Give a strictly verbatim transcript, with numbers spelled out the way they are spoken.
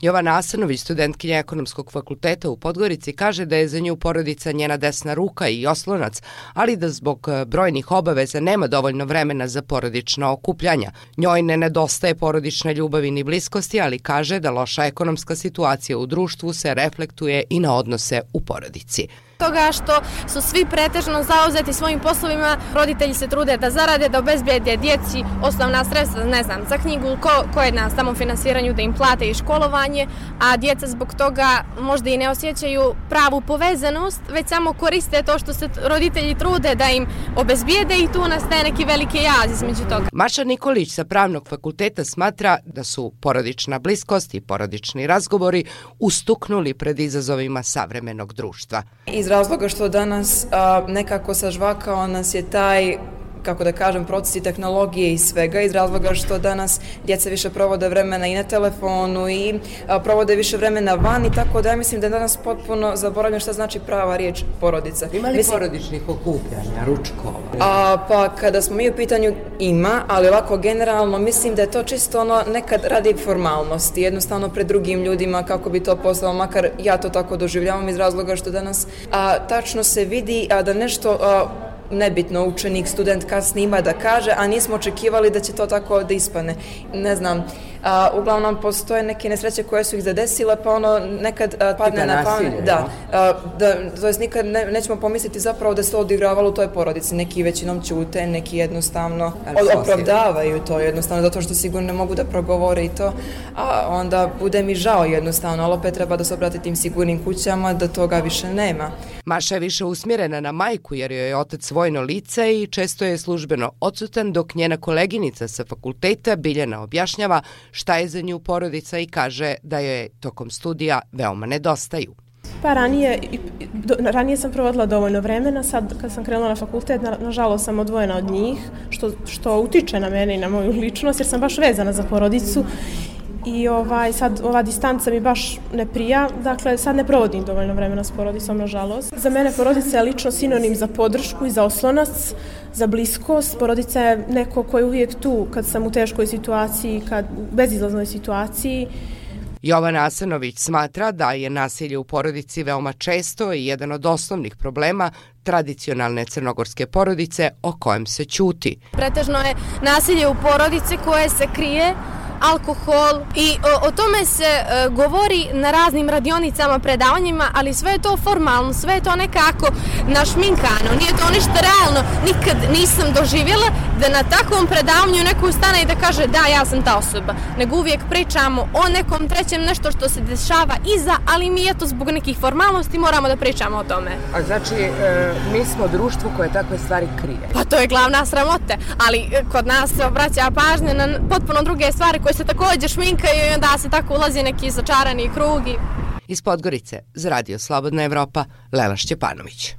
Jovana Asanović, studentkinja Ekonomskog fakulteta u Podgorici, kaže da je za nju porodica njena desna ruka i oslonac, ali da zbog brojnih obaveza nema dovoljno vremena za porodična okupljanja. Njoj ne nedostaje porodične ljubavi ni bliskosti, ali kaže da loša ekonomska situacija u društvu se reflektuje i na odnose u porodici. Toga što su svi pretežno zauzeti svojim poslovima, roditelji se trude da zarade, da obezbijede djeci osnovna sredstva, ne znam, za knjigu, ko, ko je na samofinansiranju da im plate i školovanje, a djeca zbog toga možda i ne osjećaju pravu povezanost, već samo koriste to što se roditelji trude da im obezbijede i tu nastaje neki veliki jaz između toga. Maša Nikolić sa Pravnog fakulteta smatra da su porodična bliskost i porodični razgovori ustuknuli pred izazovima savremenog društva. Iz razloga što danas a, nekako sažvakao nas je taj, kako da kažem, procesi tehnologije i svega, iz razloga što danas djeca više provode vremena i na telefonu i a, provode više vremena van i tako da ja mislim da je danas potpuno zaboravljeno šta znači prava riječ porodica. Ima li mislim, porodičnih okupljanja, ručkova? A, pa kada smo mi u pitanju ima, ali ovako generalno mislim da je to čisto ono nekad radi formalnosti, jednostavno pred drugim ljudima kako bi to postalo, makar ja to tako doživljavam iz razloga što danas a, tačno se vidi a, da nešto a, nebitno učenik, student kasnije ima da kaže, a nismo očekivali da će to tako da ispane. Ne znam, a, uglavnom postoje neke nesreće koje su ih zadesile, pa ono nekad a, padne na pamet. Da, a, da, to jest nikad ne, nećemo pomisliti zapravo da se to odigravalo u toj porodici. Neki većinom ćute, neki jednostavno opravdavaju to jednostavno, zato što sigurno ne mogu da progovore i to, a onda bude mi žao jednostavno, ali opet treba da se obrati tim sigurnim kućama da toga više nema. Maša je više usmjerena na majku jer joj je otac vojno lice i često je službeno odsutan, dok njena koleginica sa fakulteta Biljana objašnjava šta je za nju porodica i kaže da joj tokom studija veoma nedostaju. Pa ranije, ranije sam provodila dovoljno vremena, sad kad sam krenula na fakultet, nažalost sam odvojena od njih, što, što utiče na mene i na moju ličnost jer sam baš vezana za porodicu. I ovaj, sad ova distanca mi baš ne prija, dakle sad ne provodim dovoljno vremena s porodicom, nažalost. Za mene porodica je lično sinonim za podršku i za oslonac, za bliskost. Porodica je neko ko je uvijek tu kad sam u teškoj situaciji, kad u bezizlaznoj situaciji. Jovana Asanović smatra da je nasilje u porodici veoma često i jedan od osnovnih problema tradicionalne crnogorske porodice o kojem se ćuti. Pretežno je nasilje u porodici koje se krije, alkohol i o, o tome se e, govori na raznim radionicama, predavanjima, ali sve je to formalno, sve je to nekako našminkano, nije to ništa realno. Nikad nisam doživjela da na takvom predavanju neko ustane i da kaže da, ja sam ta osoba, nego uvijek pričamo o nekom trećem, nešto što se dešava iza, ali mi eto zbog nekih formalnosti moramo da pričamo o tome. A znači, e, mi smo društvo koje takve stvari krije? Pa to je glavna sramota, ali e, kod nas se obraća pažnje na potpuno druge stvari koje se također šminkaju i onda se tako ulazi neki začarani krug. Iz Podgorice za Radio Slobodna Evropa, Lela Šćepanović.